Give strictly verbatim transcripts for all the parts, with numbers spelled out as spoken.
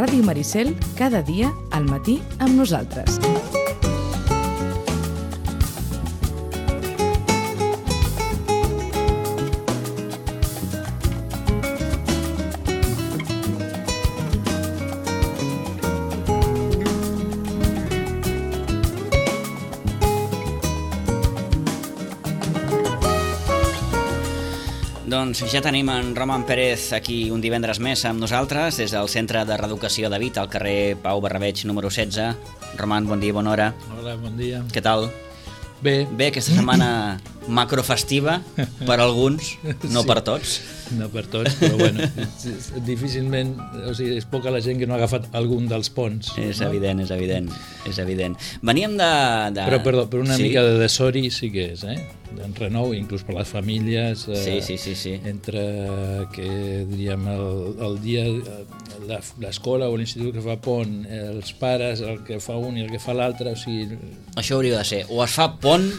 Ràdio Maricel, cada dia al matí amb nosaltres. Doncs ja tenim en Roman Pérez aquí un divendres més amb nosaltres des del Centre de Reeducació de Vita al carrer Pau Barrabeig número setze. Roman, bon dia, bona hora. Hola, bon dia. Què tal? Bé. Bé, aquesta setmana macrofestiva per alguns, no Sí. per tots. No per tots, però bueno, difícilment, o sigui, és poca la gent que no ha agafat algun dels ponts. És no? evident, és evident, és evident. Veníem de... de... Però, perdó, per una sí? mica de desori sí que és, eh? En renou, inclús per les famílies. Eh, Sí, sí, sí, sí. Entre que, diríem, el, el dia, la- l'escola o l'institut que fa pont, els pares, el que fa un i el que fa l'altre, o sigui... Això hauria de ser, o es fa pont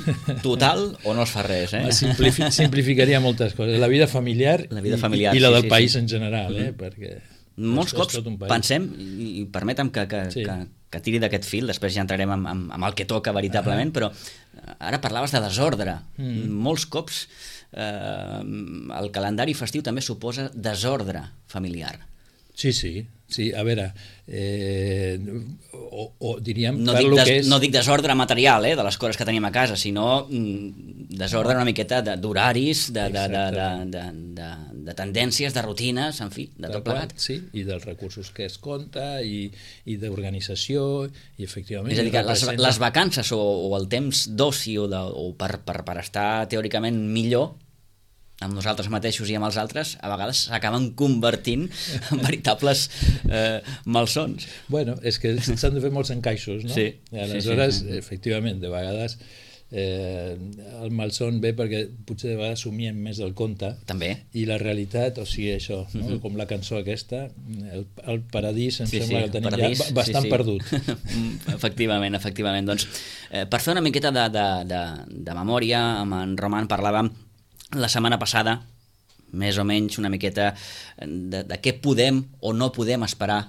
total o no es fa res, eh? Simplifi simplificaria moltes coses. La vida familiar, La vida i- familiar, i, i la sí, del sí, país sí. en general, eh? Mhm. Perquè Molts és- és cops tot un país. pensem, i i permetem que, que, Sí. que, que tiri d'aquest fil, després ja entrarem amb, amb, amb el que toca veritablement, però ara parlaves de desordre. Mm. Molts cops eh, el calendari festiu també suposa desordre familiar. Sí, sí, sí, a veure, eh, o, o diríem No per dic, lo des, que és... no dic desordre material, eh, de les coses que tenim a casa, sinó mm, desordre una miqueta de- d'horaris, de, de, de, de, de, de, de tendències, de rutines, en fi, de Tal tot qual, plegat. sí, i dels recursos que es compta i, i d'organització i efectivament... És a dir, que les, representa- les vacances o, o el temps d'oci o, de, o per, per, per estar teòricament millor amb nosaltres mateixos i amb els altres, a vegades s'acaben convertint en veritables eh, malsons. Bueno, és que s'han de fer molts encaixos, no? Sí, I aleshores, sí, sí, sí. efectivament, de vegades eh, el malson ve perquè potser de vegades somiem més del compte També. i la realitat, o sigui, això, no? Mhm. Com la cançó aquesta, el, el paradís em Sí, sembla sí, que el tenim paradís, ja ba- bastant sí, sí. perdut. Efectivament, efectivament. Doncs, eh, per fer una miqueta de, de, de, de memòria, amb en Roman parlàvem la setmana passada, més o menys una miqueta de, de què podem o no podem esperar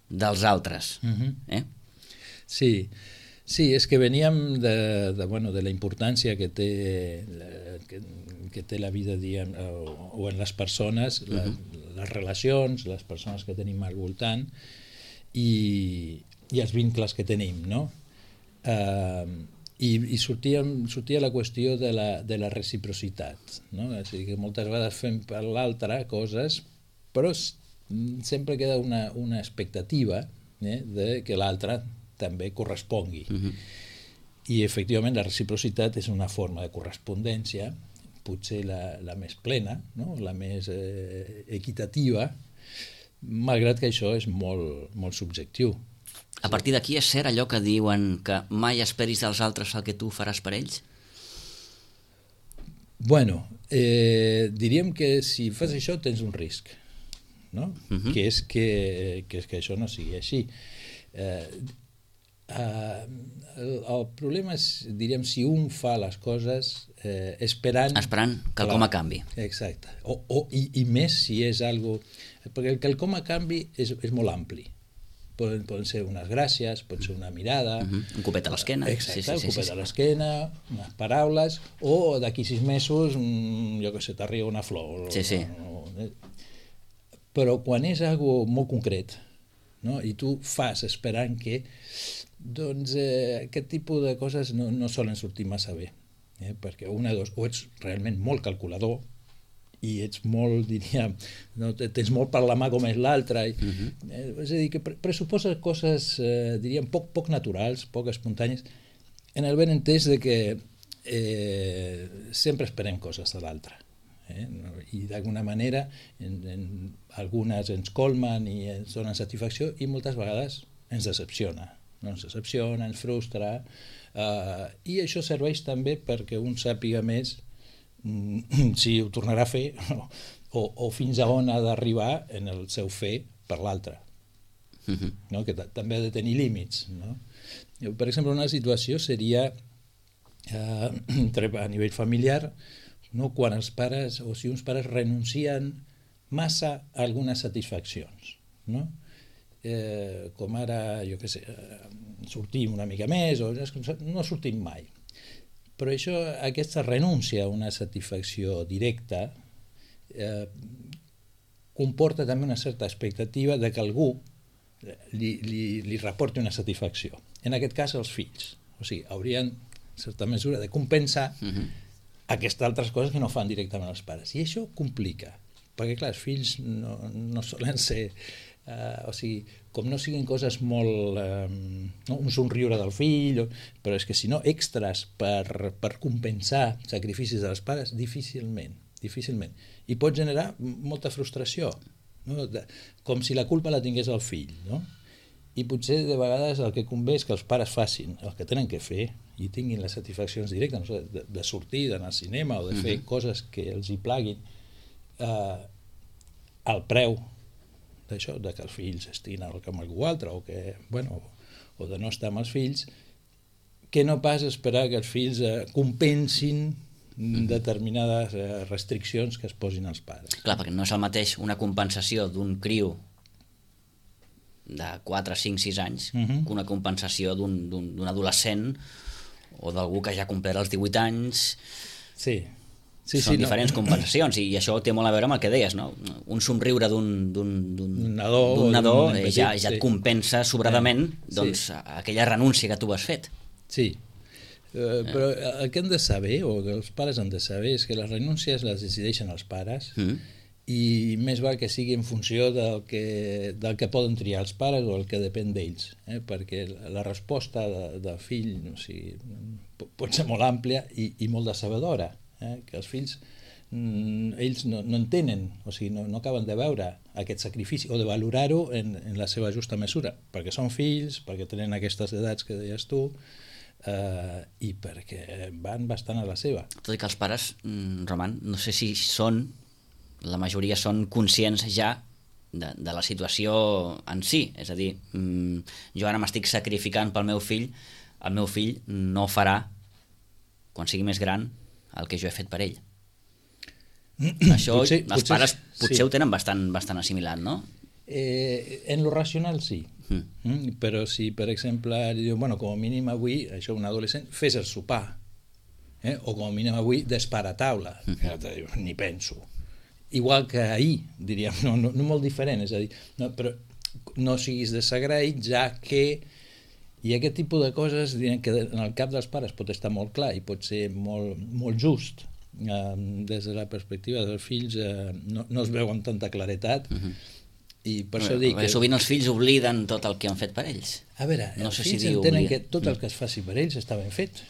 dels altres. Mhm. Eh? Sí, sí, és que veníem de, de, bueno, de la importància que té la, que, que té la vida diguem, o, o en les persones, la, Mhm. les relacions, les persones que tenim al voltant i, i els vincles que tenim, no? Uh, i, i sortia, sortia la qüestió de la, de la reciprocitat, no? És a dir, que moltes vegades fem per l'altre coses, però s- sempre queda una, una expectativa eh, de que l'altre també correspongui. Mhm. I efectivament la reciprocitat és una forma de correspondència, potser la, la més plena, no? La més eh, equitativa, malgrat que això és molt, molt subjectiu. A partir d'aquí és cert allò que diuen que mai esperis dels altres el que tu faràs per ells? Bueno, eh, diríem que si fas això tens un risc, no? Mhm. Que és que, que és que això no sigui així. Eh, eh, el, el problema és, diríem, si un fa les coses eh, esperant... Esperant que el com a canvi. Exacte. O, o, i, I més si és algo... Perquè el que el com a canvi és, és molt ampli. Poden, poden ser unes gràcies, pot ser una mirada... Mhm. Un copet a l'esquena. Exacte, Sí, sí, un sí, copet sí, a sí. l'esquena, unes paraules, o d'aquí sis mesos, mm, jo que sé, t'arriba una flor. Sí, sí. O, o, però quan és algo molt concret, no? I tu fas esperant que, doncs eh, aquest tipus de coses no, no solen sortir massa bé, eh? Perquè una de dos, o ets realment molt calculador, i ets molt, diríem, no, tens molt per la mà com és l'altre, i, Mhm. eh, és a dir, que pre pressuposa coses, eh, diríem, poc, poc naturals, poc espontànies, en el ben entès de que eh, sempre esperem coses de l'altre. Eh? No? I d'alguna manera en, en, algunes ens colmen i ens donen satisfacció i moltes vegades ens decepciona. No? Ens decepciona, ens frustra, eh, i això serveix també perquè un sàpiga més si ho tornarà a fer o, o fins a on ha d'arribar en el seu fer per l'altre, Mhm. no? Que també ha de tenir límits, no? Per exemple, una situació seria eh, a nivell familiar, no? Quan els pares o si uns pares renuncien massa a algunes satisfaccions, no? eh, com ara, jo què sé, eh, sortim una mica més, o no sortim mai. Però això, aquesta renúncia a una satisfacció directa eh, comporta també una certa expectativa de que algú li, li, li reporti una satisfacció. En aquest cas, els fills. O sigui, haurien, en certa mesura, de compensar uh-huh. aquestes altres coses que no fan directament els pares. I això complica, perquè, clar, els fills no, no solen ser... Uh, o sigui, com no siguin coses molt... Uh, no? Un somriure del fill, però és que si no, extras per, per compensar sacrificis dels pares, difícilment, difícilment. I pot generar molta frustració, no? De, com si la culpa la tingués el fill, no? I potser de vegades el que convé és que els pares facin el que tenen que fer i tinguin les satisfaccions directes, no sé, de, de sortir, d'anar al cinema o de fer uh-huh. coses que els hi plaguin, uh, al preu d'això, de que els fills estiguin amb algú altre o, que, bueno, o de no estar amb els fills, que no pas esperar que els fills eh, compensin determinades eh, restriccions que es posin als pares. Clar, perquè no és el mateix una compensació d'un criu de quatre, cinc, sis anys uh-huh. que una compensació d'un, d'un, d'un adolescent o d'algú que ja ha complert els divuit anys. Sí. Sí, Són sí, diferents no. compensacions i això té molt a veure amb el que deies, no? Un somriure d'un, d'un, d'un, nadó, d'un nadó d'un eh, ja, ja et sí. compensa sobradament sí. doncs, aquella renúncia que tu has fet. Sí, uh, però el que hem de saber, o que els pares han de saber, és que les renúncies les decideixen els pares mm. i més val que sigui en funció del que, del que poden triar els pares o el que depèn d'ells, eh? Perquè la resposta de, del fill, o sigui, pot ser molt àmplia i, i molt decebedora. Eh, que els fills mm, ells no, no entenen, o sigui, no, no acaben de veure aquest sacrifici o de valorar-ho en, en la seva justa mesura, perquè són fills, perquè tenen aquestes edats que deies tu eh, i perquè van bastant a la seva. Tot i que els pares, mm, Roman, no sé si són, la majoria són conscients ja de, de la situació en si, és a dir, mm, jo ara m'estic sacrificant pel meu fill, el meu fill no farà, quan sigui més gran, el que jo he fet per ell. Això potser, els potser, pares potser sí. ho tenen bastant, bastant assimilat, no? Eh, en lo racional sí. Mm. Mm, però si, per exemple, li diu, bueno, com a mínim avui, això un adolescent, fes el sopar. Eh? O com a mínim avui, despara taula. Mm. Ni penso. Igual que ahir, diríem, no, no, no molt diferent, és a dir, no, però no siguis desagraït, ja que i aquest tipus de coses que en el cap dels pares pot estar molt clar i pot ser molt, molt just. Eh, des de la perspectiva dels fills eh, no, no es veu amb tanta claretat uh-huh. i per això dic... Que... Sovint els fills obliden tot el que han fet per ells. A veure, no els sé fills si entenen que tot el que es faci per ells està ben fet.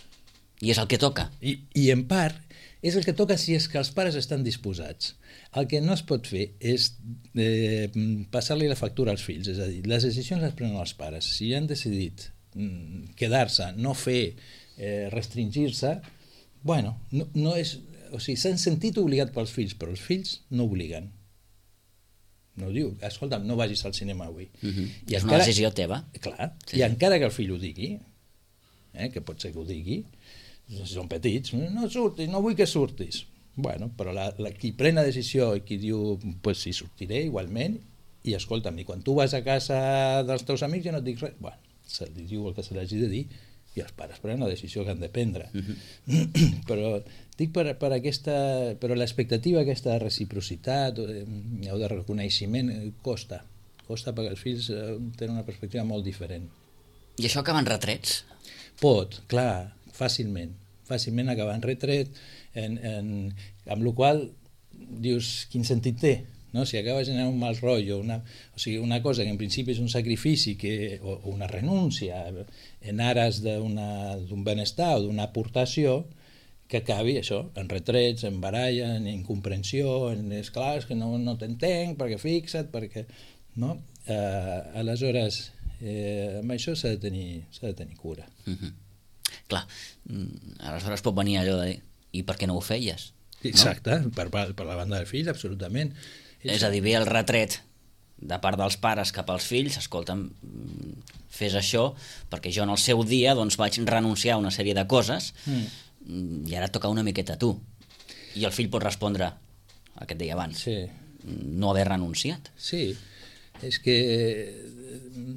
I és el que toca. I, i en part és el que toca si és que els pares estan disposats. El que no es pot fer és eh, passar-li la factura als fills, és a dir, les decisions les prenen els pares. Si han decidit quedar-se, no fer, eh, restringir-se, bueno, no, no és, o sigui, s'han sentit obligat pels fills, però els fills no obliguen. No diu, escolta'm, no vagis al cinema avui. Uh-huh. I és encara, una decisió teva. Clar, sí. I encara que el fill ho digui, eh, que pot ser que ho digui, si són petits, no surtis, no vull que surtis. Bueno, però la, la, qui pren la decisió i qui diu, pues sí, sortiré igualment, i escolta'm, i quan tu vas a casa dels teus amics ja no et dic res, bueno, se li diu el que se l'hagi de dir i els pares prenen la decisió que han de prendre. Uh-huh. Però dic per, per aquesta, però l'expectativa aquesta de reciprocitat o de, o de reconeixement costa, costa perquè els fills eh, tenen una perspectiva molt diferent. I això acaba en retrets? Pot, clar, fàcilment, fàcilment acaba en retret, en, en, amb la qual dius, quin sentit té? No? Si acaba generant un mal rotllo, una, o sigui, una cosa que en principi és un sacrifici que, o, o una renúncia en ares d'un benestar o d'una aportació, que acabi això, en retrets, en baralla, en incomprensió, en és clar, és que no, no t'entenc, perquè fixa't, perquè... No? Eh, aleshores, eh, amb això s'ha de tenir, s'ha de tenir cura. Mm-hmm. Clar, aleshores pot venir allò de dir, i per què no ho feies? Exacte, no? per, per la banda del fill, absolutament. És a dir, ve el retret de part dels pares cap als fills, escolta'm, fes això, perquè jo en el seu dia doncs, vaig renunciar a una sèrie de coses mm. i ara toca una miqueta a tu. I el fill pot respondre el que et deia abans, sí. no haver renunciat. Sí, És que,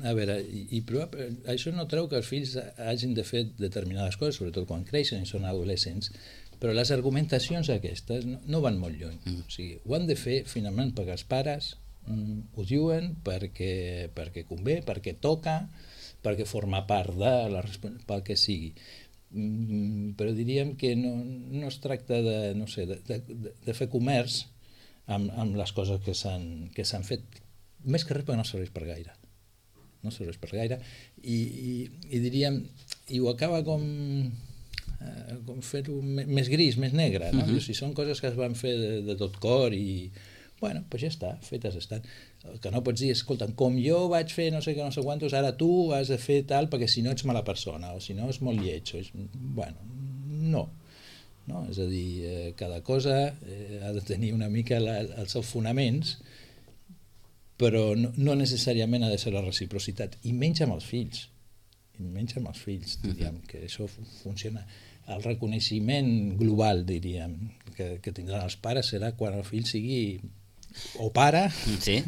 a veure, i, i això no treu que els fills hagin de fer determinades coses, sobretot quan creixen i són adolescents, però les argumentacions aquestes no, no van molt lluny. Mm. O sigui, ho han de fer finalment perquè els pares mm, ho diuen, perquè, perquè convé, perquè toca, perquè forma part de la responsabilitat, pel que sigui. Mm, però diríem que no, no es tracta de, no sé, de, de, de fer comerç amb, amb les coses que s'han que s'han fet. Més que res perquè no serveix per gaire. No serveix per gaire. I, i, i diríem, i ho acaba com, eh, com fer-ho més gris, més negre, no? Uh-huh. Si són coses que es van fer de, de tot cor i, bueno, doncs ja està, fetes estan. El que no pots dir, escolta, com jo vaig fer no sé què, no sé quantos, ara tu has de fer tal perquè si no ets mala persona, o si no és molt lleig. O és, bueno, no. No? És a dir, eh, cada cosa eh, ha de tenir una mica la, els seus fonaments, però no, no necessàriament ha de ser la reciprocitat, i menys amb els fills, i menys amb els fills, diríem, que això funciona. El reconeixement global, diríem, que, que tindran els pares serà quan el fill sigui o pare, sí.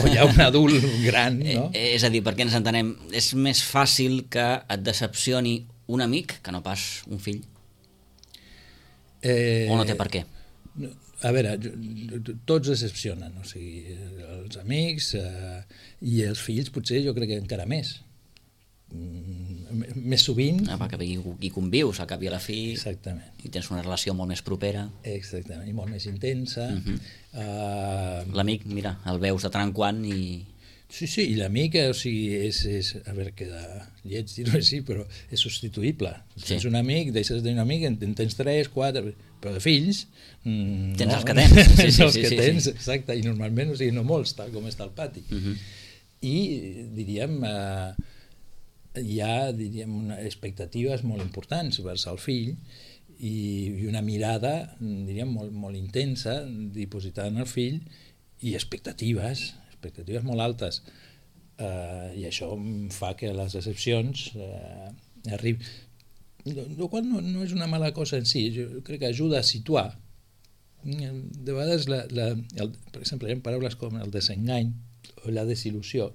o ja un adult gran, no? Eh, és a dir, perquè ens entenem, és més fàcil que et decepcioni un amic que no pas un fill? Eh, o no té per què? A veure, tots decepcionen, o sigui, els amics eh, i els fills potser jo crec que encara més. Mm, més sovint. Ah, perquè hi, hi convius al cap i a la fi. Exactament. I tens una relació molt més propera. Exactament, i molt més intensa. Uh-huh. uh, L'amic, mira, el veus de tant en quant i... Sí, sí, i l'amic, o sigui, és, és, a veure, queda lleig dir-ho així, però és substituïble. Si sí. Tens un amic, deixes de tenir un amic, en tens tres, quatre, però de fills... Mm, tens no, els que tens. Sí, tens sí, els sí, que sí, tens, sí. Exacte, i normalment, o sigui, no molts, tal com està el pati. Uh-huh. I, diríem, eh, hi ha, diríem, una, expectatives molt importants vers el fill i, i una mirada, diríem, molt, molt intensa dipositada en el fill i expectatives, expectatives molt altes, uh, i això fa que les decepcions uh, arribin, el qual no, no és una mala cosa en si, jo crec que ajuda a situar. De vegades, la, la, el, per exemple, hi ha paraules com el desengany o la desil·lusió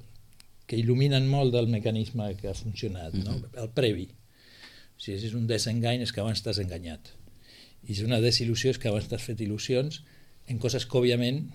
que il·luminen molt del mecanisme que ha funcionat, no? El previ. Si és un desengany és que abans t'has enganyat, i si és una desil·lusió és que abans t'has fet il·lusions en coses que òbviament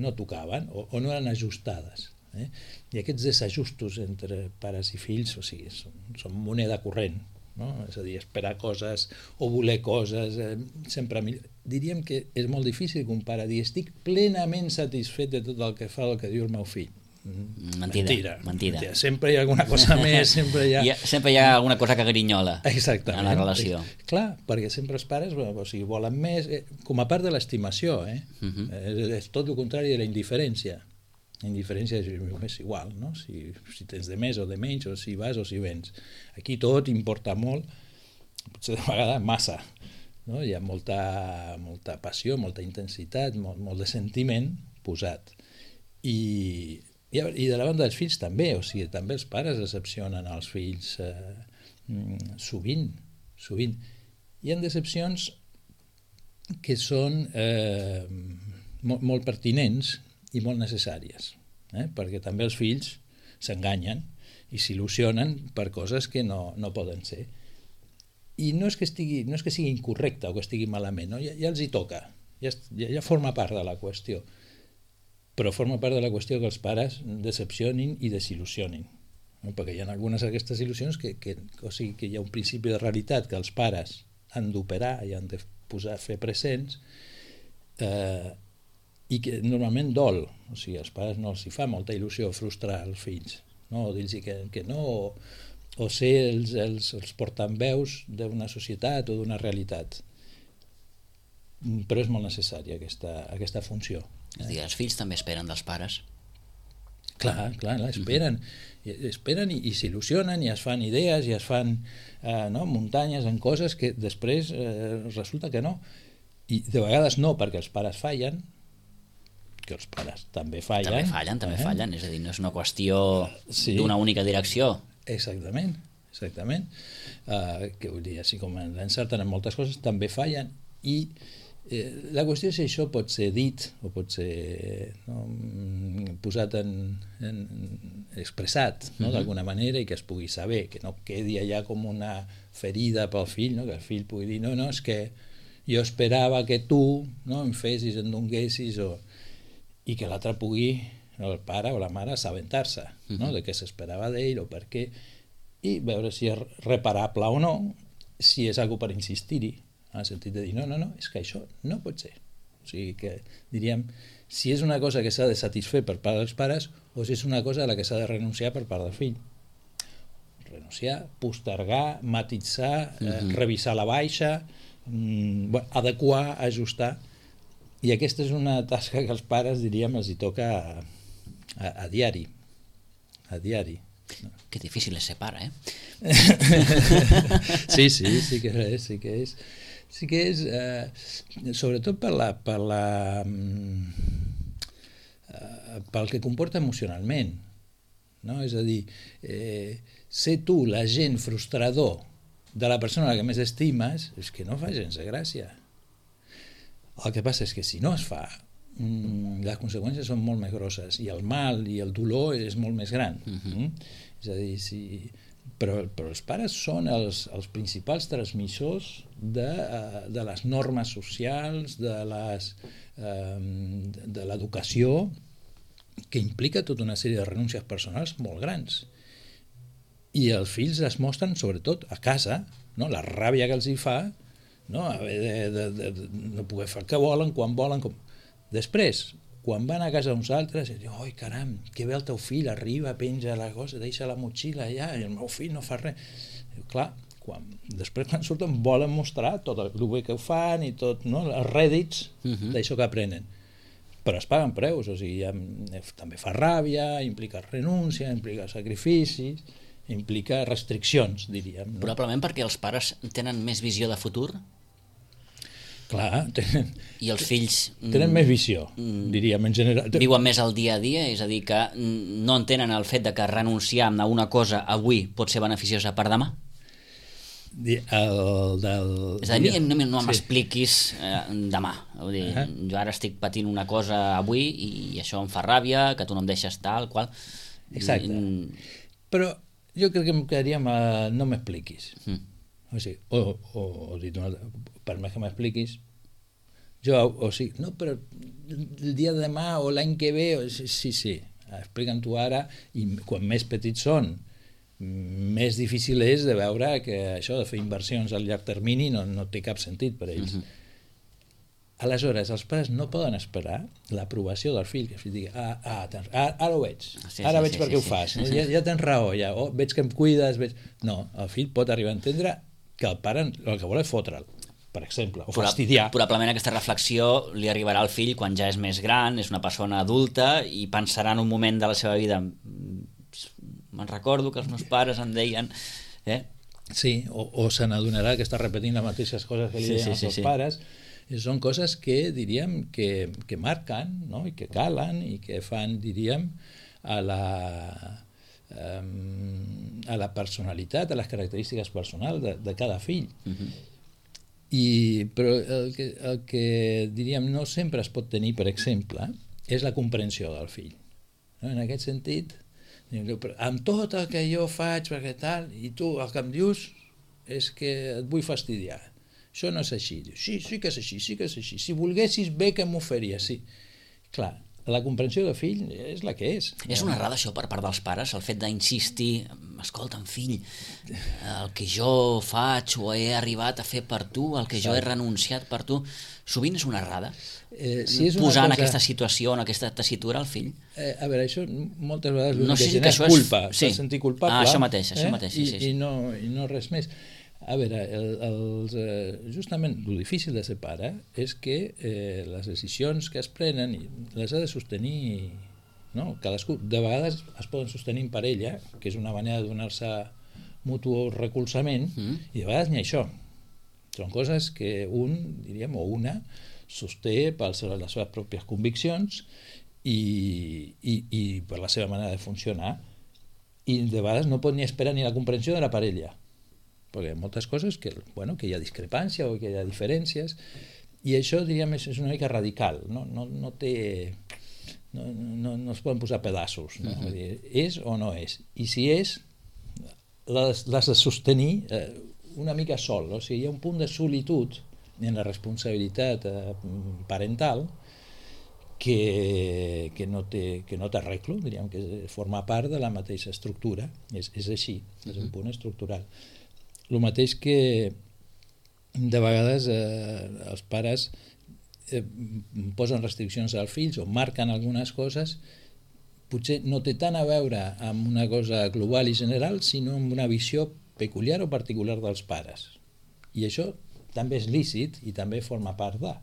no tocaven o, o no eren ajustades. Eh? I aquests desajustos entre pares i fills, o sigui, són, són moneda corrent, no? És a dir, esperar coses o voler coses, eh, sempre millor. Diríem que és molt difícil que un pare digui estic plenament satisfet de tot el que fa el que diu el meu fill. Mentida, mentida, mentida. mentida. Sempre hi ha alguna cosa més, sempre hi ha... Hi ha... Sempre hi ha alguna cosa que grinyola. Exactament. En la relació. Clar, perquè sempre els pares o sigui, volen més, eh, com a part de l'estimació, eh? Uh-huh. és, és tot el contrari de la indiferència. La indiferència és, és igual, no? Si, si tens de més o de menys, o si vas o si vens. Aquí tot importa molt, potser de vegades massa, no? Hi ha molta, molta passió, molta intensitat, molt, molt de sentiment posat. I... I de la banda dels fills també, o sigui, també els pares decepcionen els fills eh, sovint, sovint. Hi ha decepcions que són eh, molt, molt pertinents i molt necessàries, eh? Perquè també els fills s'enganyen i s'il·lusionen per coses que no, no poden ser. I no és que estigui, no és que sigui incorrecte o que estigui malament, no? ja, ja els hi toca, ja, ja, ja forma part de la qüestió. Però forma part de la qüestió que els pares decepcionin i desil·lusionin, no? Perquè hi ha algunes d'aquestes il·lusions que, que, o sigui, que hi ha un principi de realitat que els pares han d'operar i han de posar, fer presents, eh, i que normalment dol, o sigui, als pares no els hi fa molta il·lusió frustrar els fills, no? O dir-los que, que no, o, o ser els, els, els portaveus d'una societat o d'una realitat. Però és molt necessària aquesta, aquesta funció. És a dir, els fills també esperen dels pares. Clar, clar, esperen, uh-huh. esperen i, i s'il·lusionen i es fan idees i es fan eh, no, muntanyes en coses que després eh, resulta que no. I de vegades no, perquè els pares fallen, que els pares també fallen. També fallen, també eh? fallen, és a dir, no és una qüestió sí. d'una única direcció. Exactament, exactament. Uh, que vull dir, així com l'encerten en moltes coses, també fallen i Eh, la qüestió és si això pot ser dit o pot ser no, posat en, en expressat no, uh-huh. d'alguna manera i que es pugui saber, que no quedi allà com una ferida pel fill, no? Que el fill pugui dir no, no, és que jo esperava que tu no, em fessis, em donguessis o... i que l'altre pugui, el pare o la mare, assabentar-se uh-huh. no? De què s'esperava d'ell o per què i veure si és reparable o no, si és algo per insistir-hi en el sentit de dir, no, no, no, és que això no pot ser. O sigui que, diríem, si és una cosa que s'ha de satisfer per part dels pares o si és una cosa a la que s'ha de renunciar per part del fill. Renunciar, postergar, matitzar, eh, uh-huh. revisar la baixa, mm, bueno, adequar, ajustar. I aquesta és una tasca que els pares, diríem, els hi toca a, a, a diari. A diari. No. Que difícil és ser pare, eh? sí, sí, sí que és, sí que és. Sí que és, eh, sobretot per la, per la, eh, pel que comporta emocionalment, no? És a dir, eh, ser tu l'agent frustrador de la persona a la que més estimes és que no fa gens de gràcia. El que passa és que si no es fa, mm, les conseqüències són molt més grosses i el mal i el dolor és molt més gran. Uh-huh. Mm? És a dir, si... Però, però els pares són els, els principals transmissors de, de les normes socials, de, les, de l'educació, que implica tota una sèrie de renúncies personals molt grans. I els fills es mostren, sobretot, a casa, no? La ràbia que els hi fa, no? Haver de, de, de, de no poder fer el que volen, quan volen... Com... Després, quan van a casa d'uns altres, i diuen, oi, caram, que bé el teu fill, arriba, penja la cosa, deixa la motxilla allà, i el meu fill no fa res. I, clar, quan, després quan surten volen mostrar tot el bé que ho fan i tot, no? Els rèdits uh-huh. d'això que aprenen. Però es paguen preus, o sigui, ja, també fa ràbia, implica renúncia, implica sacrificis, implica restriccions, diríem. No? Probablement perquè els pares tenen més visió de futur? Clar, tenen, i els fills tenen més visió, diríem, en general. Viuen més el dia a dia, és a dir, que no entenen el fet de que renunciar a una cosa avui pot ser beneficiosa per demà? El del... És a dir, no, no m'expliquis eh, demà. Vull dir, uh-huh. Jo ara estic patint una cosa avui i això em fa ràbia, que tu no em deixes tal, qual... Exacte. I... Però jo crec que em quedaria amb el no m'expliquis. Mm. O sigui, o, o, o dit una altra, per més que m'expliquis, jo, o sigui, no, però el dia de demà o l'any que ve, o, sí, sí, sí, explica'm tu ara, i quan més petits són, més difícil és de veure que això de fer inversions a llarg termini no, no té cap sentit per a ells. Uh-huh. Aleshores, els pares no poden esperar l'aprovació del fill, que el fill digui, ah, ah, tens, ah ara ho veig, sí, ara sí, veig sí, per què sí, ho fas, sí. No? Ja, ja tens raó, ja, oh, veig que em cuides, veig... No, el fill pot arribar a entendre que el pare el que vol és fotre'l, per exemple, o fastidiar. Probablement aquesta reflexió li arribarà al fill quan ja és més gran, és una persona adulta i pensarà en un moment de la seva vida, me'n recordo que els meus pares em deien... Eh? Sí, o, o se n'adonarà que està repetint les mateixes coses que li deien sí, sí, els seus sí, sí. pares. I són coses que, diríem, que, que marquen, no? I que calen i que fan, diríem, a la... a la personalitat, a les característiques personals de, de cada fill. Uh-huh. I, però el que, el que diríem no sempre es pot tenir, per exemple, és la comprensió del fill. No? En aquest sentit, amb tot el que jo faig perquè tal, i tu el que em dius és que et vull fastidiar. Això no és així. Dius, sí, sí que és així, sí que és així. Si volguessis bé que m'ho faries, sí. Clar, la comprensió del fill és la que és. És una errada això per part dels pares, el fet d'insistir, escolta'm fill, el que jo faig o he arribat a fer per tu, el que jo he renunciat per tu, sovint és una errada? Eh, si és una posar cosa... en aquesta situació, en aquesta tessitura al fill? Eh, a veure, això moltes vegades no sé si és culpa, és... sí. sentir culpable. Ah, això mateix, això eh? mateix, sí, sí. I, i, no, i no res més. A veure, el, els, eh, justament el difícil de ser pare és que eh, les decisions que es prenen les ha de sostenir, no? Cadascú. De vegades es poden sostenir en parella, que és una manera de donar-se mutu recolzament, mm. i de vegades ni això. Són coses que un, diríem, o una, sosté per les seves pròpies conviccions i, i, i per la seva manera de funcionar, i de vegades no pot ni esperar ni la comprensió de la parella, perquè hi ha moltes coses que, bueno, que hi ha discrepància o que hi ha diferències I això, diríem, és una mica radical, no, no, no té... No, no, no es poden posar pedaços, no? Uh-huh. Dir, és o no és. I si és, l'has de sostenir eh, una mica sol. O sigui, hi ha un punt de solitud en la responsabilitat eh, parental que, que no té, que no t'arreglo, diríem que forma part de la mateixa estructura. És, és així, és un punt estructural. El mateix que de vegades eh, els pares eh, posen restriccions als fills o marquen algunes coses, potser no té tant a veure amb una cosa global i general, sinó amb una visió peculiar o particular dels pares. I això també és lícit i també forma part de.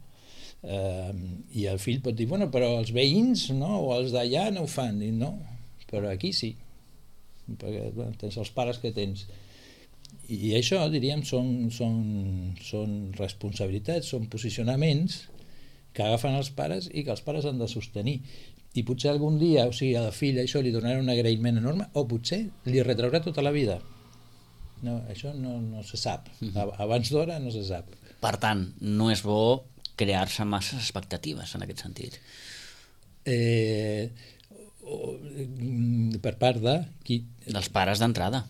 Eh, I el fill pot dir, bueno, però els veïns no, o els d'allà no ho fan. I no, però aquí sí, perquè bueno, tens els pares que tens. I això, diríem, són, són, són responsabilitats, són posicionaments que agafen els pares i que els pares han de sostenir. I potser algun dia, o sigui, a la filla això li donarà un agraïment enorme, o potser li retraurà tota la vida. No, això no, no se sap. Abans d'hora no se sap. Per tant, no és bo crear-se masses expectatives en aquest sentit. Eh, o, per part de qui? Dels pares d'entrada.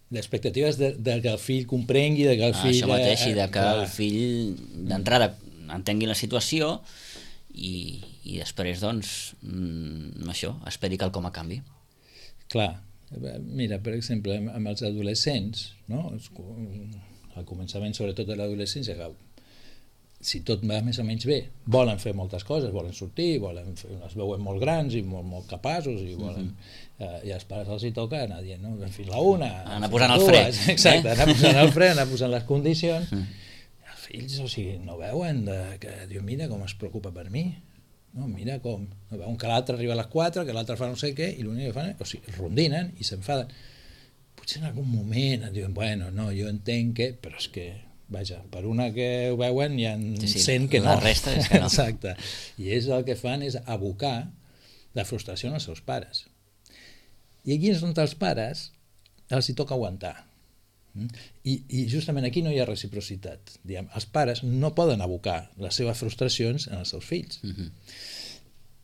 L'expectativa és de, de que el fill comprengui, de que el fill... Això mateix, i de que clar. el fill d'entrada entengui la situació i, i després, doncs, mm, això, esperi que el com a canvi. Clar, mira, per exemple, amb els adolescents, no? Al començament, sobretot de l'adolescència, que si tot va més o menys bé, volen fer moltes coses, volen sortir, volen fer, es veuen molt grans i molt, molt capaços i volen... Mm-hmm. Eh, i als pares els hi toca anar dient, no? Fins la una, anar posant el fre. Exacte, eh? anar posant el fre, anar posant les condicions. Mm. Els fills, o sigui, no veuen de, que diu, mira com es preocupa per mi, no, mira com, no veuen que l'altre arriba a les quatre, que l'altre fa no sé què, i l'únic que fan, o sigui, rondinen i s'enfaden. Potser en algun moment diuen, bueno, no, jo entenc que, però és que, vaja, per una que ho veuen hi ha sí, sí, cent que no. La resta és que no. Exacte. I és el que fan és abocar la frustració als seus pares. I aquí és on els pares els hi toca aguantar. I, i justament aquí no hi ha reciprocitat. Diguem, els pares no poden abocar les seves frustracions en els seus fills. Uh-huh.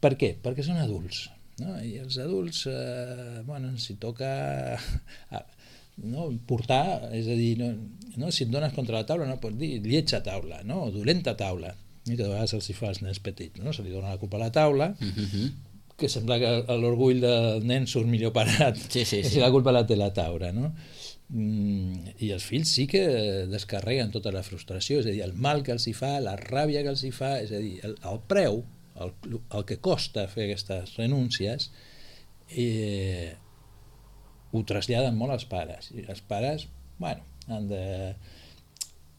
Per què? Perquè són adults. No? I els adults, eh, bueno, si toca eh, no, portar, és a dir, no, no, si et dones contra la taula no pots dir lletja taula, no? O dolenta taula. I que de vegades els hi fa als nens petits, no? Se li dona la culpa a la taula, uh-huh. que sembla que l'orgull del nen surt millor parat sí, sí, sí. si la culpa la té la taula, no? Mm, i els fills sí que descarreguen tota la frustració, és a dir, el mal que els hi fa, la ràbia que els hi fa, és a dir, el, el preu, el, el que costa fer aquestes renúncies, eh, ho traslladen molt als pares, i els pares, bueno, han de,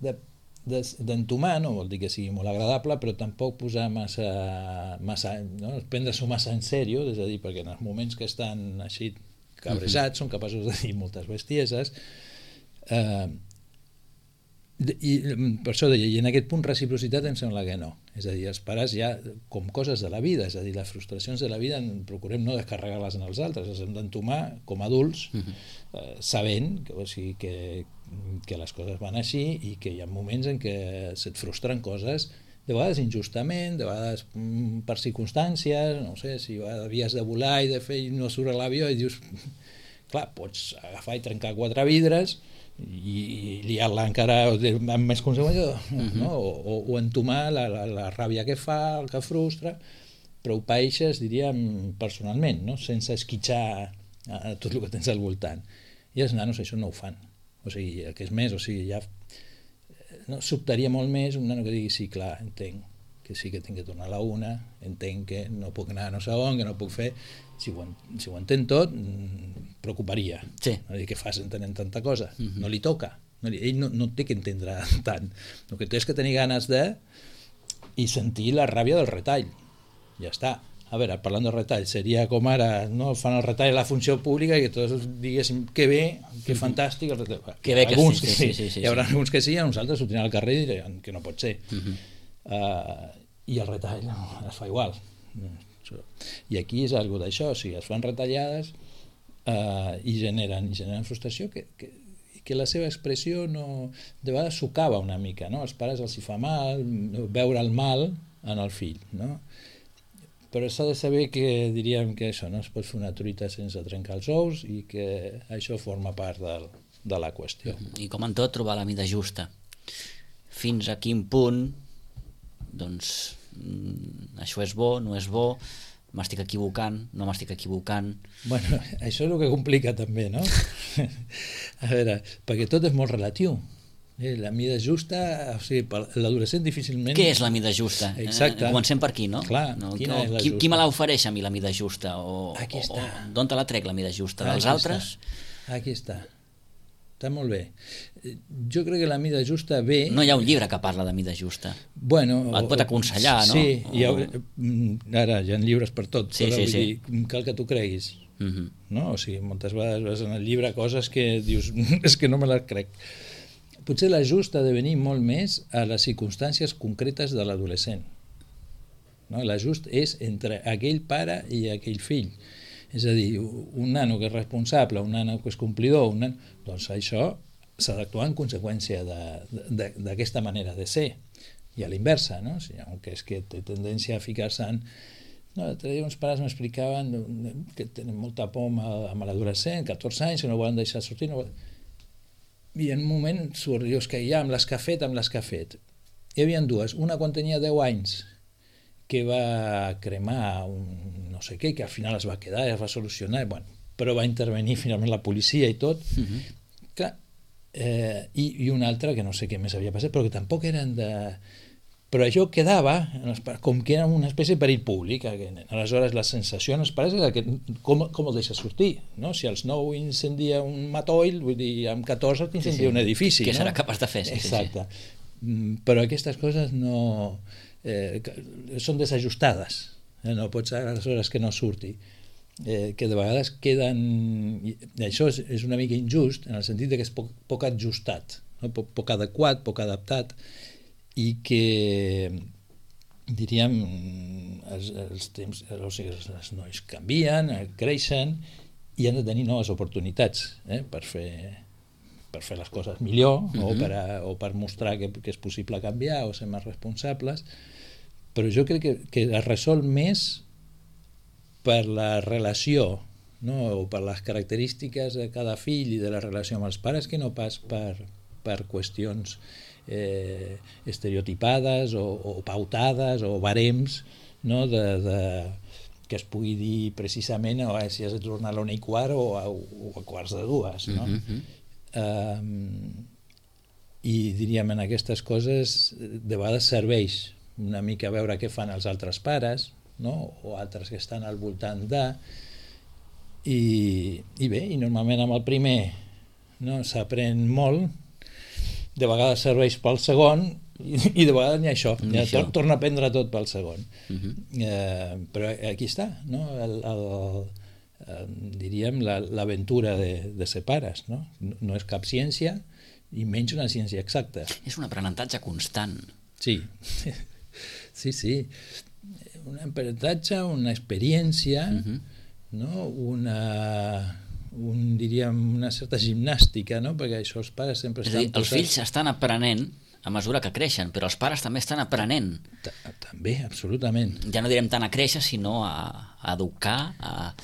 de d'entomar, no vol dir que sigui molt agradable, però tampoc posar massa, massa no? Prendre-s'ho massa en sèrio, és a dir, perquè en els moments que estan així cabrejats, uh-huh. són capaços de dir moltes bestieses, eh, i per això deia, i en aquest punt reciprocitat em sembla que no, és a dir, els pares ja com coses de la vida, és a dir, les frustracions de la vida procurem no descarregar-les en els altres, les hem d'entomar com a adults, uh-huh. eh, sabent que, o sigui, que que les coses van així i que hi ha moments en què se't frustren coses, de vegades injustament, de vegades mm, per circumstàncies, no sé, si havies de volar i de fer i no surt a l'avió i dius, clar, pots agafar i trencar quatre vidres i, i liar-la encara amb més conseqüències, uh-huh. no? o, o, o entomar la, la, la ràbia que fa, el que frustra, però ho paeixes, diríem, personalment, no? Sense esquitxar a tot el que tens al voltant. I els nanos això no ho fan. O sigui, el que és més, o sigui, ja no, sobtaria molt més un nano que digui, sí, clar, entenc que sí que tinc que tornar a la una, entenc que no puc anar a no sé on, que no puc fer, si ho, si ho entén tot, preocuparia. Sí. No dir, què fas entenent tanta cosa? Uh-huh. No li toca. No li, ell no, no té que entendre tant. El que té és que tenir ganes de i sentir la ràbia del retall. Ja està. A veure, parlant de retall, seria com ara, no, fan el retall a la funció pública i que tots diguéssim que bé, que fantàstic el retall. Que bé que alguns sí, que sí, sí, sí, sí. Hi haurà alguns que sí, a nosaltres sortiran al carrer i diran que no pot ser. Uh-huh. uh, I el retall no, es fa igual. I aquí és algo d'això, o sigui, es fan retallades uh, i generen, i generen frustració que, que, que la seva expressió no, de vegades socava una mica, no? Als pares els hi fa mal veure el mal en el fill, no? Però s'ha de saber que diríem que això no es pot fer una truita sense trencar els ous i que això forma part del, de la qüestió. I com en tot, trobar la mida justa. Fins a quin punt doncs això és bo, no és bo, m'estic equivocant, no m'estic equivocant... Bueno, això és el que complica també, no? A veure, perquè tot és molt relatiu. Eh, la mida justa, o sigui, l'adolescent difícilment... Què és la mida justa? Exacte. Eh, comencem per aquí, no? Clar, no, quina és la qui, justa? qui me l'ofereix a mi, la mida justa? O, Aquí està. o d'on te la trec, la mida justa? Dels Aquí altres? Està. Aquí està. Està molt bé. Jo crec que la mida justa ve... No hi ha un llibre que parla de mida justa. Bueno, et pot aconsellar, no? Sí, hi ha, o... ara hi ha llibres per tot, sí, però sí, vull sí. dir, cal que tu creguis. Uh -huh. No? O sigui, moltes vegades vas en el llibre coses que dius, és que no me les crec. Potser l'ajust ha de venir molt més a les circumstàncies concretes de l'adolescent. No? L'ajust és entre aquell pare i aquell fill. És a dir, un nano que és responsable, un nano que és complidor, un nano... doncs això s'ha d'actuar en conseqüència d'aquesta manera de ser. I a l'inversa, no? O sigui, que és que té tendència a ficar-se en... No, l'altre dia uns pares m'explicaven que tenen molta por amb, amb l'adolescent, catorze anys, que no volen deixar sortir, no volen... I en un moment surt, dius que ja amb les que ha fet, amb les que ha fet. Hi havia dues, una quan tenia deu anys, que va cremar un no sé què, que al final es va quedar, es va solucionar, bueno, però va intervenir finalment la policia i tot. Uh-huh. Clar, eh, i, i una altra que no sé què més havia passat, però que tampoc eren de... Però això quedava com que era una espècie de perill públic. Aleshores la sensació en els pares era que com, com el deixa sortir, no? Si als nou incendia un matoll, vull dir, amb catorze t'incendia sí, sí. un edifici. Què no? serà capaç de fer? Sí, exacte. Sí, sí. Però aquestes coses no... Eh, són desajustades. Eh? No pot ser aleshores que no surti. Eh, que de vegades queden... I això és, és una mica injust en el sentit de que és poc, poc ajustat, no? poc, poc adequat, poc adaptat, i que diríem els, els temps, o sigui, els nois canvien, creixen i han de tenir noves oportunitats eh, per fer per fer les coses millor uh-huh. o, per a, o per mostrar que, que és possible canviar o ser més responsables, però jo crec que, que es resol més per la relació, no? O per les característiques de cada fill i de la relació amb els pares, que no pas per, per qüestions Eh, estereotipades o, o pautades o barems, no? de, de, que es pugui dir precisament oh, si has de tornar a l'una i quart o a, o a quarts de dues, no? Uh-huh. um, i diríem en aquestes coses de vegades serveix una mica veure què fan els altres pares, no? O altres que estan al voltant de i, i bé, i normalment amb el primer no, s'aprèn molt, de vegades serveix pel segon i, i de vegades n'hi ha això, ja tor torna a aprendre tot pel segon. Uh-huh. eh, però aquí està, no? el, el, el, diríem l'aventura de, de ser pares, no? no? No és cap ciència i menys una ciència exacta. És un aprenentatge constant. Sí, sí, sí. Un aprenentatge, una experiència, uh-huh. no? una... un, diríem, una certa gimnàstica, no? Perquè això els pares sempre estan... És a dir, els fills estan aprenent a mesura que creixen, però els pares també estan aprenent. També, absolutament. Ja no direm tant a créixer, sinó a, a educar, a...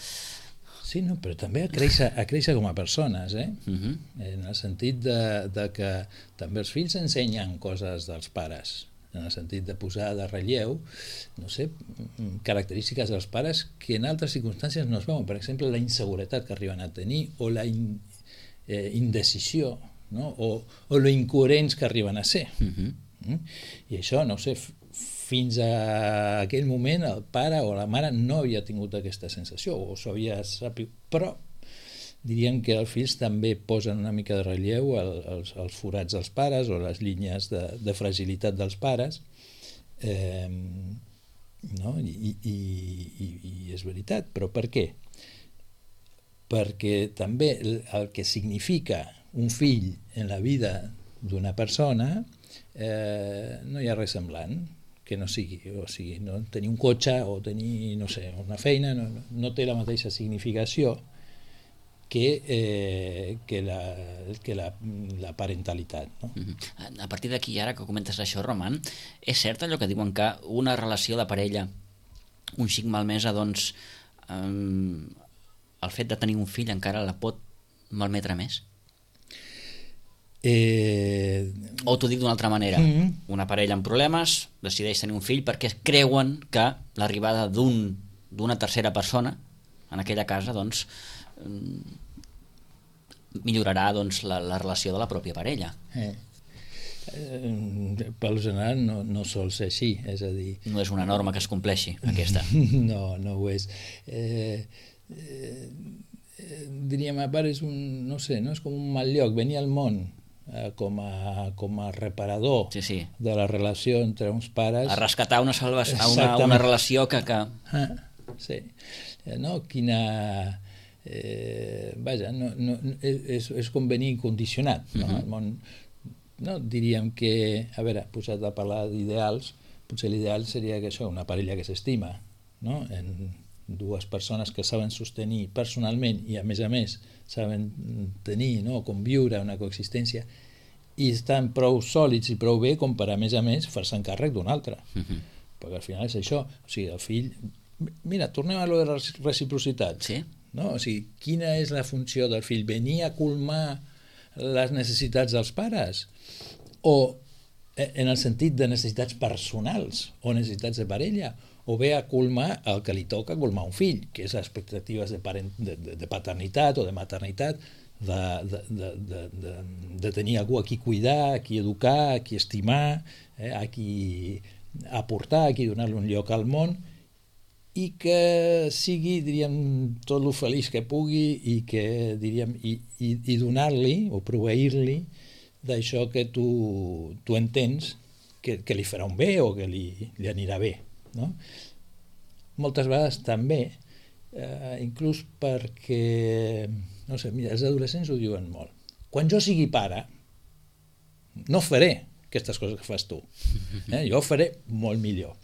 Sí, no, però també a créixer, a créixer com a persones, eh? Uh-huh. En el sentit de, de que també els fills ensenyen coses dels pares, en el sentit de posar de relleu, no sé, característiques dels pares que en altres circumstàncies no es veuen. Per exemple, la inseguretat que arriben a tenir o la in, eh, indecisió, no? o, o lo incoherents que arriben a ser. Uh-huh. mm? I això, no sé, fins a aquell moment el pare o la mare no havia tingut aquesta sensació, o s'ho havia sabut, però diríem que els fills també posen una mica de relleu el, els, els forats dels pares o les línies de, de fragilitat dels pares, eh, no? I, i, i, i és veritat, però per què? Perquè també el, el que significa un fill en la vida d'una persona eh, no hi ha res semblant que no sigui, o sigui, no? Tenir un cotxe o tenir, no sé, una feina no, no té la mateixa significació que, eh, que, la, que la, la parentalitat. No? Mm-hmm. A partir d'aquí, ara que comentes això, Roman, és cert allò que diuen que una relació de parella un xic malmesa, doncs eh, el fet de tenir un fill encara la pot malmetre més? Eh... O t'ho dic d'una altra manera, mm-hmm. una parella amb problemes decideix tenir un fill perquè creuen que l'arribada d'un, d'una tercera persona en aquella casa, doncs millorarà doncs, la, la relació de la pròpia parella. Eh. Eh, pel general no, no sol ser així, és a dir... No és una norma que es compleixi, aquesta. No, no ho és. Eh, eh, diríem, a part, és un, no sé, no és com un mal lloc. Venir al món eh, com, a, com a reparador sí, sí. de la relació entre uns pares... A rescatar una, salva, una, una relació que... que... Ah, sí. No? Quina... Eh, vaja, no, no, és, és com venir condicionat, no? Uh-huh. El món, no? Diríem que, a veure, posat a parlar d'ideals, potser l'ideal seria que això, una parella que s'estima, no? En dues persones que saben sostenir personalment i a més a més saben tenir, no? Conviure, una coexistència, i estan prou sòlids i prou bé com per a més a més fer-se encàrrec d'un altre. Uh-huh. Perquè al final és això, o sigui, el fill... Mira, tornem a lo de reciprocitat. Sí. No? O sigui, quina és la funció del fill? Venir a colmar les necessitats dels pares? O en el sentit de necessitats personals o necessitats de parella? O bé a colmar el que li toca colmar un fill, que és expectatives de, parent, de, de, de paternitat o de maternitat, de, de, de, de, de, de tenir algú a qui cuidar, a qui educar, a qui estimar, eh, a qui aportar, a qui donar-li un lloc al món, i que sigui, diríem, tot el feliç que pugui i que, diríem, i, i, i donar-li o proveir-li d'això que tu, tu entens que, que li farà un bé o que li, li anirà bé, no? Moltes vegades també, eh, inclús perquè, no sé, mira, els adolescents ho diuen molt. Quan jo sigui pare, no faré aquestes coses que fas tu. Eh? Jo ho faré molt millor.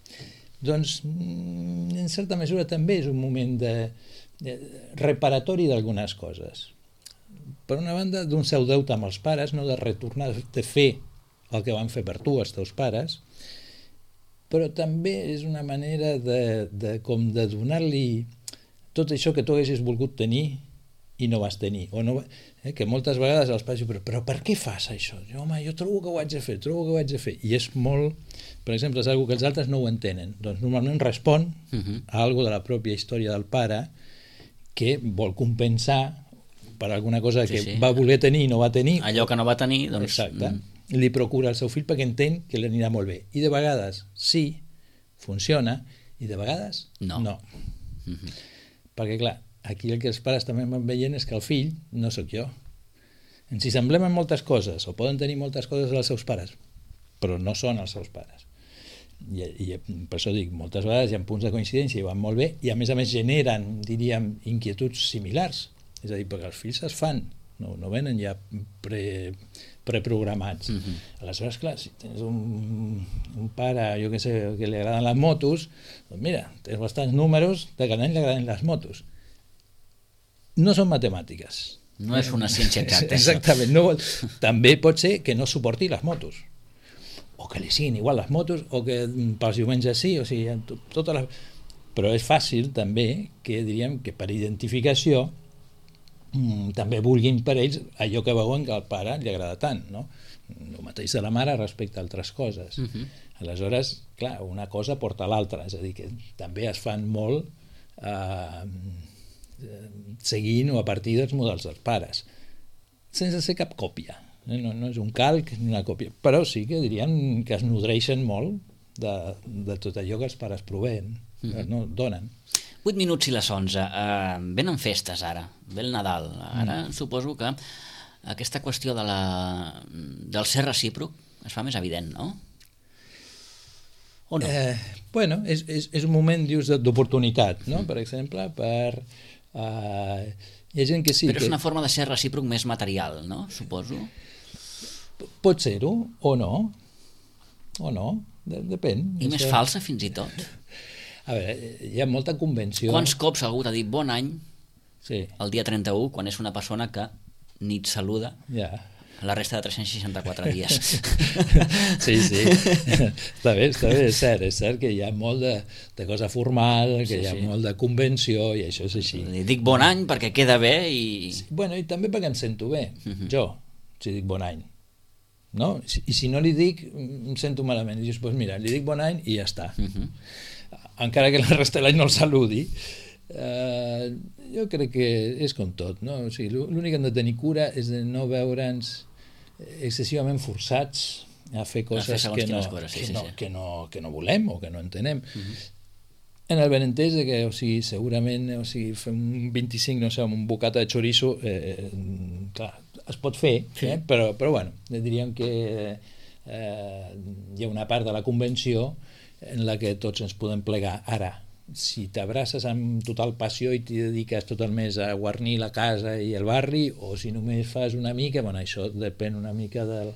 Doncs, en certa mesura, també és un moment de, de reparatori d'algunes coses. Per una banda, d'un seu deute amb els pares, no de retornar, de fer el que van fer per tu, els teus pares, però també és una manera de, de, com de donar-li tot això que tu haguessis volgut tenir i no vas tenir. O no, eh, que moltes vegades els pares diuen, però, però per què fas això? Jo, home, jo trobo que ho haig de fer, trobo que ho haig de fer. I és molt, per exemple, és una cosa que els altres no ho entenen. Doncs normalment respon uh-huh. a alguna de la pròpia història del pare que vol compensar per alguna cosa que sí, sí. va voler tenir i no va tenir. Allò que no va tenir, doncs... Exacte. Mm. Li procura al seu fill perquè entén que li anirà molt bé. I de vegades sí, funciona, i de vegades no. no. Uh-huh. Perquè, clar, aquí el que els pares també van veient és que el fill no sóc jo. Ens hi semblem en moltes coses, o poden tenir moltes coses als seus pares, però no són els seus pares. I, i per això dic, moltes vegades hi ha punts de coincidència i van molt bé, i a més a més generen, diríem, inquietuds similars. És a dir, perquè els fills es fan, no, no venen ja pre, preprogramats. Uh-huh. Aleshores, clar, si tens un, un pare, jo què sé, que li agraden les motos, doncs mira, tens bastants números de que a ell li agraden les motos. No són matemàtiques. No és una ciència exacta. Exactament. No, també pot ser que no suporti les motos, o que li siguin igual les motos, o que pels diumenges sí, o sigui, totes les... Però és fàcil també que, diríem, que per identificació mmm, també vulguin per ells allò que veuen que al pare li agrada tant, no? El mateix de la mare respecte a altres coses. Uh-huh. Aleshores, clar, una cosa porta a l'altra, és a dir, que també es fan molt eh, seguint o a partir dels models dels pares, sense ser cap còpia. No, no és un calc ni una còpia, però sí que diríem que es nodreixen molt de, de tot allò que els pares proveen, mm-hmm. no donen. vuit minuts i les onze. Uh, venen festes ara, ve el Nadal. Ara mm. suposo que aquesta qüestió de la, del ser recíproc es fa més evident, no? O no? Eh, bueno, és, és, és un moment, dius, d'oportunitat, no? Mm. Per exemple, per... Uh, hi ha gent que sí... Però és que... una forma de ser recíproc més material, no? Suposo. Pot ser-ho, o no. O no, de, depèn. I això... més falsa, fins i tot. A veure, hi ha molta convenció... Quants cops algú t'ha dit bon any Sí. el dia trenta-u, quan és una persona que ni et saluda Ja. la resta de tres-cents seixanta-quatre dies. Sí, sí, està bé, està bé, és cert, és cert que hi ha molt de, de cosa formal, que Sí, hi ha sí. molt de convenció i això és així. Li dic bon any perquè queda bé i... Bueno, i també perquè em sento bé, Mhm. jo, si dic bon any. No? I si no li dic, em sento malament. I dius, doncs mira, li dic bon any i ja està. Mhm. Encara que la resta de l'any no el saludi. Eh, jo crec que és com tot, no? O sigui, l'únic que hem de tenir cura és de no veure'ns excessivament forçats a fer coses, fer segons que, no, quines coses, sí, que, sí, no, sí. que, no, que no volem o que no entenem. Mhm. En el benentès de que, o sigui, segurament, o sigui, fer un vint-i-cinc, no sé, amb un bocata de chorizo, eh, clar, es pot fer, Sí. eh? però, però bueno, diríem que eh, hi ha una part de la convenció en la que tots ens podem plegar. Ara, si t'abraces amb total passió i t'hi dediques tot el mes a guarnir la casa i el barri, o si només fas una mica, bueno, això depèn una mica del,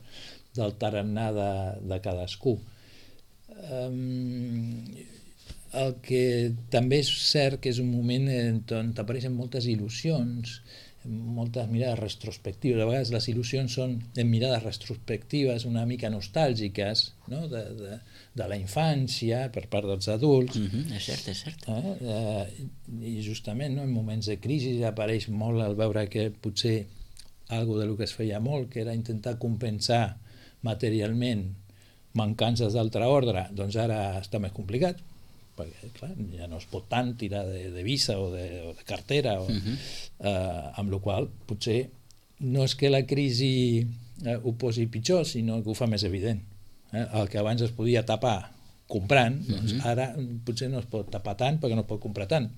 del tarannà de, de cadascú. Um, el que també és cert que és un moment on t'apareixen moltes il·lusions, moltes mirades retrospectives. A vegades les il·lusions són en mirades retrospectives una mica nostàlgiques, no? de, de, de la infància per part dels adults. Mhm, és cert, és cert. Eh? Eh, I justament, no? En moments de crisi apareix molt el veure que potser algo de lo que es feia molt, que era intentar compensar materialment mancances d'altre ordre, doncs ara està més complicat, perquè clar, ja no es pot tant tirar de, de visa o de, o de cartera, o, Mhm. eh, amb la qual potser no és que la crisi eh, ho posi pitjor, sinó que ho fa més evident. Eh? El que abans es podia tapar comprant, doncs Mhm. ara potser no es pot tapar tant perquè no es pot comprar tant.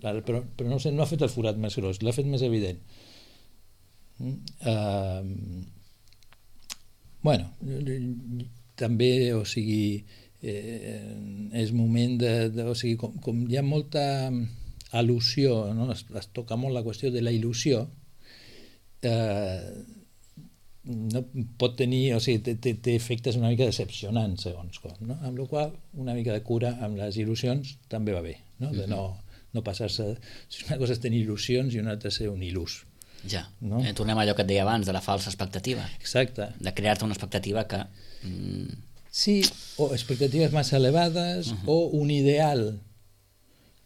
Ara, però, però no, sé, no ha fet el forat més gros, l'ha fet més evident. Mm? Uh, bueno, també, o sigui, eh, és moment de, de o sigui, com, com hi ha molta al·lusió, no? es, es toca molt la qüestió de la il·lusió, eh, no pot tenir, o sigui, té, té, té efectes una mica decepcionants segons com, no? Amb la qual una mica de cura amb les il·lusions també va bé, no? De no, no passar-se, si una cosa és tenir il·lusions i una altra ser un il·lús. Ja, No? eh, tornem a allò que et deia abans, de la falsa expectativa, Exacte. de crear-te una expectativa que... Mm, Sí, o expectatives massa elevades, Uh-huh. o un ideal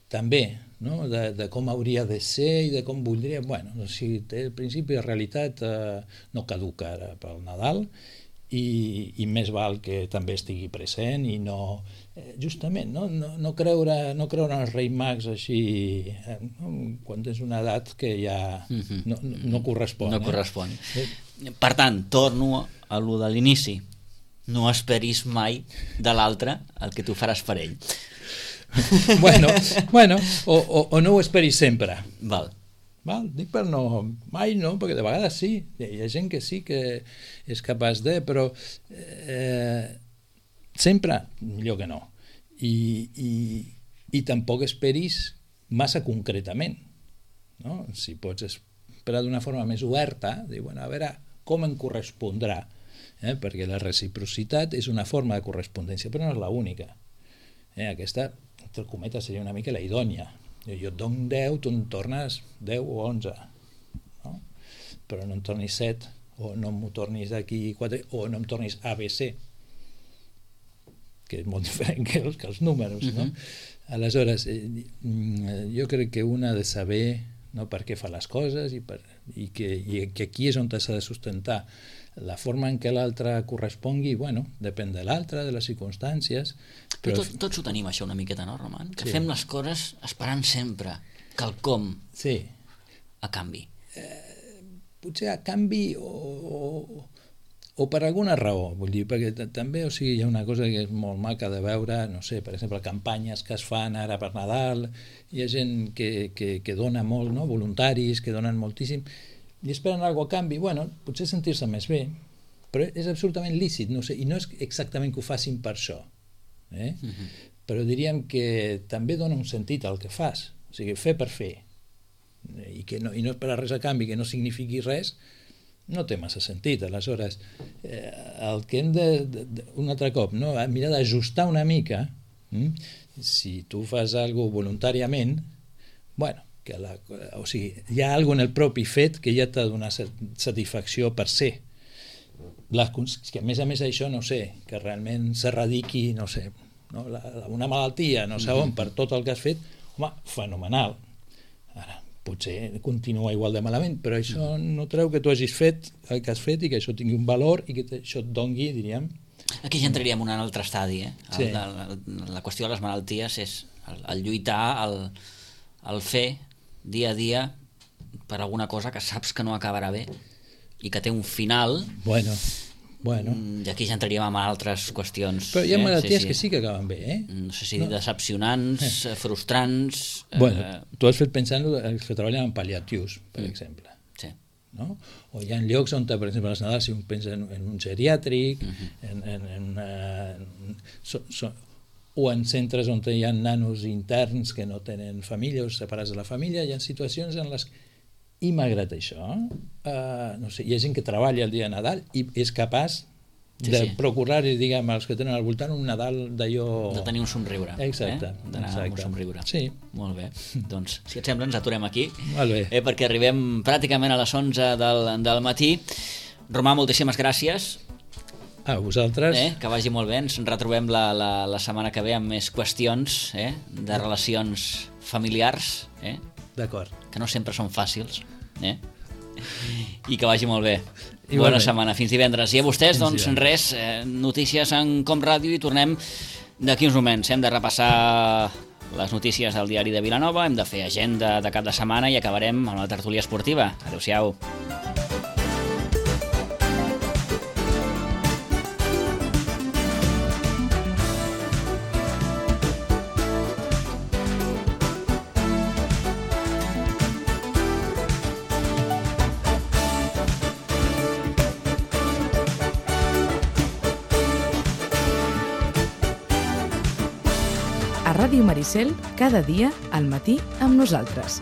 també, no? de, de com hauria de ser i de com voldria. Bueno, o sigui, té el principi de realitat eh, no caduca ara pel Nadal i, i més val que també estigui present i no, eh, justament, no, no, no, creure, no creure en els Reis Mags així, eh, no? Quan tens una edat que ja Mhm. no, no, no correspon. no eh? correspon. Eh, Per tant, torno a lo de l'inici. No esperis mai de l'altre el que tu faràs per ell. bueno, bueno o, o, o no ho esperis sempre. Val. Val? Dic per no, mai no, perquè de vegades sí, hi ha gent que sí que és capaç de, però eh, sempre millor que no. I, i, i tampoc esperis massa concretament, no? Si pots esperar d'una forma més oberta, dir, bueno, a veure com em correspondrà, eh? Perquè la reciprocitat és una forma de correspondència, però no és l'única. Eh? Aquesta, entre cometes, seria una mica la idònia. Jo et dono deu, tu em tornes deu o onze, no? Però no em tornis set, o no m'ho tornis d'aquí quatre, o no em tornis A B C, que és molt diferent que els, que els números, no? Mhm. Aleshores, eh, jo crec que un ha de saber, no, per què fa les coses i, per, i, que, i que aquí és on s'ha de sustentar. La forma en què l'altre correspongui, bueno, depèn de l'altre, de les circumstàncies. Però tot, tots ho tenim això una miqueta, no, Roman? Que Sí. fem les coses esperant sempre quelcom Sí, a canvi. potser a canvi o, o, o per alguna raó, vull dir, perquè t- també, o sigui, hi ha una cosa que és molt maca de veure, no sé, per exemple, campanyes que es fan ara per Nadal, hi ha gent que, que, que dona molt, no? Voluntaris que donen moltíssim, i esperen alguna cosa a canvi, bueno, potser sentir-se més bé, però és absolutament lícit, no sé, i no és exactament que ho facin per això, eh? Mhm. Però diríem que també dona un sentit al que fas, o sigui, fer per fer, i, que no, i no esperar res a canvi, que no signifiqui res, no té massa sentit. Aleshores, eh, el que hem de, de, de un altre cop, no? Mirar d'ajustar una mica, hm? Si tu fas alguna cosa voluntàriament, bueno, que la, o sigui, hi ha alguna en el propi fet que ja t'ha de donar satisfacció per ser. Les, que a més a més això, no sé, que realment s'erradiqui, no sé, no? La, una malaltia, no sé on, per tot el que has fet, home, fenomenal. Ara, potser continua igual de malament, però això no treu que tu hagis fet el que has fet i que això tingui un valor i que això et dongui, diríem... Aquí ja entraríem en un altre estadi, eh? El, Sí. la, la, la qüestió de les malalties és el, el lluitar, el, el fer dia a dia per alguna cosa que saps que no acabarà bé i que té un final. Bueno, bueno. I aquí ja entraríem en altres qüestions. Però hi ha eh? malalties sí, sí. que sí que acaben bé, eh? No sé si No. decepcionants, eh. frustrants... Bueno, eh, tu has fet pensant els que treballen en pal·liatius, per mm. exemple. Sí. No? O hi ha llocs on, per exemple, a les Nadals, si un pensa en, en un geriàtric, Mhm. en, en, en, uh, so, so, o en centres on hi ha nanos interns que no tenen família o separats de la família, hi ha situacions en les... I malgrat això, uh, no sé, hi ha gent que treballa el dia de Nadal i és capaç Sí, de sí. procurar, diguem, als que tenen al voltant un Nadal d'allò... De tenir un somriure. Exacte, Eh? D'anar amb un exacte. somriure. Sí. Molt bé. Doncs, si et sembla, ens aturem aquí. Molt bé. Eh, perquè arribem pràcticament a les onze del, del matí. Romà, moltíssimes gràcies. A vosaltres. Eh? Que vagi molt bé. Ens retrobem la, la, la setmana que ve amb més qüestions eh? de relacions familiars, eh? D'acord. que no sempre són fàcils. Eh? I que vagi molt bé. Igualment. Bona setmana, fins divendres. I a vostès, Fins doncs divendres. res, eh, notícies en Com Ràdio i tornem d'aquí uns moments. Hem de repassar les notícies del diari de Vilanova, hem de fer agenda de cap de setmana i acabarem amb la tertúlia esportiva. Adéu-siau. A Ràdio Maricel, cada dia al matí amb nosaltres.